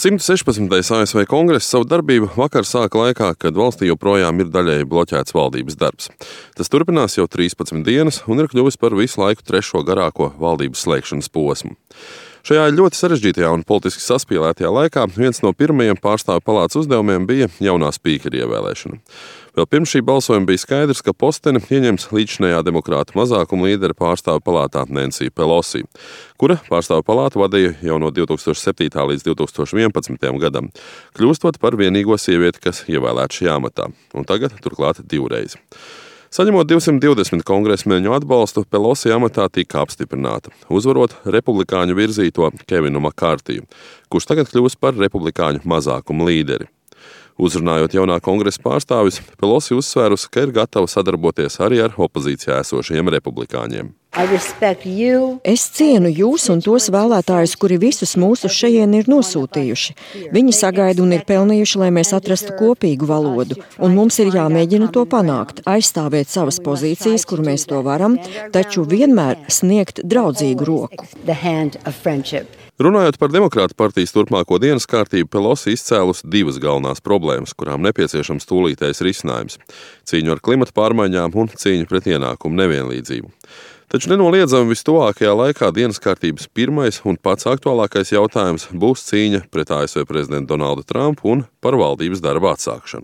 116. ASV kongress savu darbību vakar sāka laikā, kad valstī joprojām ir daļēji bloķēts valdības darbs. Tas turpinās jau 13 dienas un ir kļuvis par visu laiku trešo garāko valdības slēgšanas posmu. Šajā ļoti sarežģītajā un politiski saspīlētajā laikā viens no pirmajiem pārstāvju palātas uzdevumiem bija jaunā spīkera ievēlēšana. Vēl pirms šī balsojuma bija skaidrs, ka posteni ieņems līdzinējā demokrātu mazākuma līdere pārstāvju palātā Nancy Pelosi, kura pārstāvju palātu vadīja jau no 2007. līdz 2011. gadam, kļūstot par vienīgo sievieti, kas ievēlēta šajā amatā, un tagad turklāt divreiz. Saņemot 220 kongresmeņu atbalstu, Pelosi amatā tika apstiprināta, uzvarot republikāņu virzīto Kevinu Makārtiju, kurš tagad kļūs par republikāņu mazākumu līderi. Uzrunājot jaunā kongresa pārstāvis, Pelosi uzsvērusi, ka ir gatava sadarboties arī ar opozīcijā esošajiem republikāņiem. Es cienu jūs un tos vēlētājus, kuri visus mūsu šejien ir nosūtījuši. Viņi sagaida un ir pelnījuši, lai mēs atrastu kopīgu valodu, un mums ir jāmēģina to panākt, aizstāvēt savas pozīcijas, kur mēs to varam, taču vienmēr sniegt draudzīgu roku. Runājot par Demokrātu partijas turpmāko dienas kārtību, Pelosi izcēlusi divas galvenās problēmas, kurām nepieciešams tūlītējs risinājums – cīņu ar klimata pārmaiņām un cīņu pret ienākumu nevienlīdzību. Taču nenoliedzami vistuvākajā laikā dienas kārtības pirmais un pats aktuālākais jautājums būs cīņa pret ASV prezidentu Donaldu Trumpu un par valdības darba atsākšanu.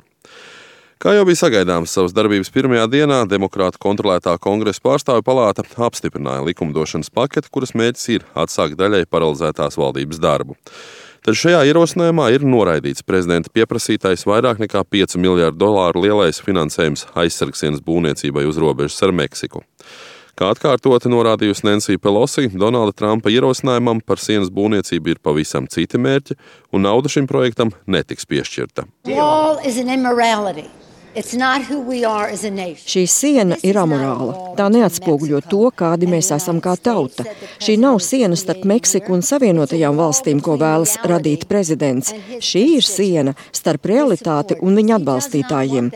Kā jau bija sagaidāms, savas darbības pirmajā dienā demokrātu kontrolētā kongresa pārstāvju palāta apstiprināja likumdošanas paketi, kuras mērķis ir atsākt daļai paralizētās valdības darbu. Taču šajā ierosinājumā ir noraidīts prezidenta pieprasītais vairāk nekā $5 miljardu lielais finansējums aizsargsienas būvniecībai uz robežas ar Meksiku. Kā atkārtoti norādījusi Nancy Pelosi, Donalda Trumpa ierosinājumam par sienas būvniecību ir pavisam citi mērķi, un nauda šim projektam netiks piešķirta. Šī siena ir amorāla. Tā neatspoguļo to, kādi mēs esam kā tauta. Šī nav siena starp Meksiku un Savienotajām valstīm, ko vēlas radīt prezidents. Šī ir siena starp realitāti un viņa atbalstītājiem.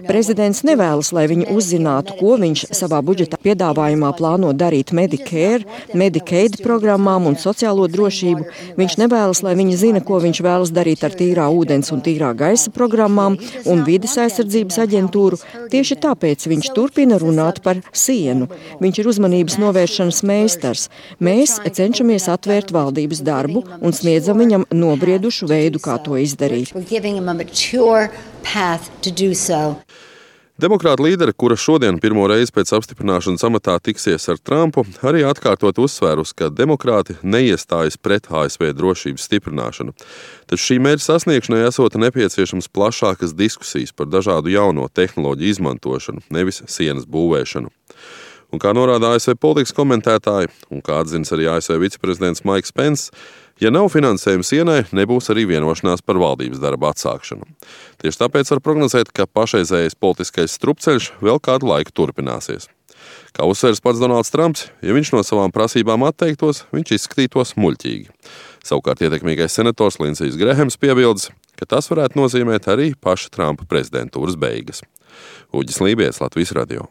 Prezidents nevēlas, lai viņi uzzinātu, ko viņš savā budžeta piedāvājumā plāno darīt Medicare, Medicaid programmām un sociālo drošību. Viņš nevēlas, lai viņi zina, ko viņš vēlas darīt ar tīrā ūdens un tīrā gaisa programmām un vides aizsardzības aģentūru. Tieši tāpēc viņš turpina runāt par sienu. Viņš ir uzmanības novēršanas meistars. Mēs cenšamies atvērt valdības darbu un sniedzam viņam nobriedušu veidu, kā to izdarīt. Demokrāta līdere, kura šodien pirmo reizi pēc apstiprināšanas amatā tiksies ar Trumpu, arī atkārtot uzsvērus, ka demokrāti neiestājas pret ASV drošības stiprināšanu. Taču šī mērķa sasniegšanai esot nepieciešams plašākas diskusijas par dažādu jauno tehnoloģiju izmantošanu, nevis sienas būvēšanu. Un kā norāda ASV politikas komentētāji, un kā atzinas arī ASV viceprezidents Maiks Pence, ja nav finansējuma sienai, nebūs arī vienošanās par valdības darba atsākšanu. Tieši tāpēc var prognozēt, ka pašreizējais politiskais strupceļš vēl kādu laiku turpināsies. Kā uzsvērs pats Donalds Trumps, ja viņš no savām prasībām atteiktos, viņš izskatītos muļķīgi. Savukārt ietekmīgais senators Lindsijs Grehams piebildes, ka tas varētu nozīmēt arī paša Trumpa prezidentūras beigas. Uģis Lībijams, Latvijas radio.